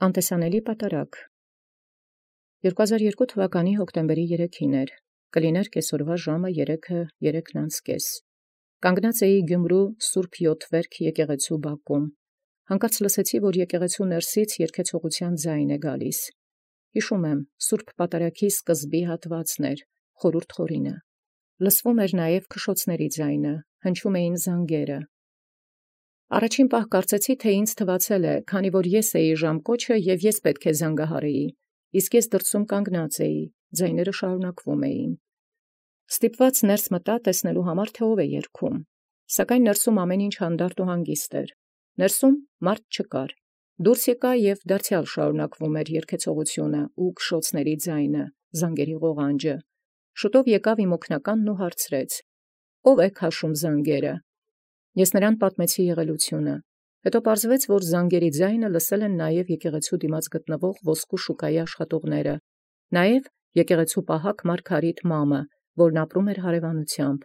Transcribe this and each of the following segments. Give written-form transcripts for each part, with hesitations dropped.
Անտեսանելի պատարագ 2002 թվականի հոկտեմբերի 3-ին կլիներ կեսօրվա ժամը 3:30։ Կանգնած էի Գյումրու Սուրբ Յոթվերք եկեղեցու բակում։ Հանկարծ լսեցի, որ եկեղեցու ներսից երգեցողության ձայն գալիս։ Հիշում եմ, Սուրբ Պատարագի սկզբի հատվածն էր, խորհուրդ խորինը։ Լսվում էր նաև քշոցների ձայնը, հնչում էին զանգերը։ Առաջին պահ կարծեցի, թե ինձ թվացել է, քանի որ ես էի ժամկոչը և ես պետք է զանգահարեի, իսկ ես դրսում կանգնած էի, ձայները շարունակվում էին։ Ստիպված ներս մտա տեսնելու համար, թե ով է երգում, սակայն ներսում ամեն ինչ հանդարտ ու հանգիստ էր։ Ներսում մարդ չկար։ Դուրս եկա և դարձյալ շարունակվում էր երգեցողությունը ու քշոցների ձայնը, զանգերի ղողանջը։ Շուտով եկավ իմ օգնականն ու հարցրեց. «Ո՞վ է քաշում զանգերը»։ Ես նրան պատմեցի եղելությունը։ Հետո պարզվեց, որ զանգերի ձայնը լսել են նաև եկեղեցու դիմաց գտնվող ոսկու շուկայի աշխատողները, նաև եկեղեցու պահակ Մարգարիտ մամը, որն ապրում էր հարևանությամբ։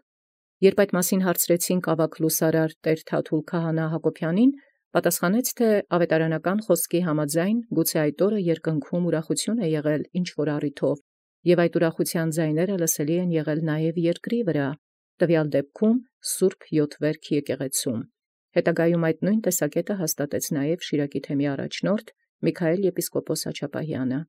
Երբ այդ մասին հարցրեցինք ավագ լուսարար տեր Թաթուլ քահանա Հակոբյանին, պատասխանեց, թե ավետարանական խոսքի համաձայն գուցե այդ օրը երկնքում ուրախություն է եղել ինչ-որ առիթով, և այդ ուրախության ձայները լսելի են եղել նաև երկրի վրա, տվյալ դեպքում Սուրբ Յոթվերք եկեղեցում։ Հետագայում այդ նույն տեսակետը հաստատեց նաև Շիրակի թեմի առաջնորդ Միքայել եպիսկոպոս Աչապահյանը։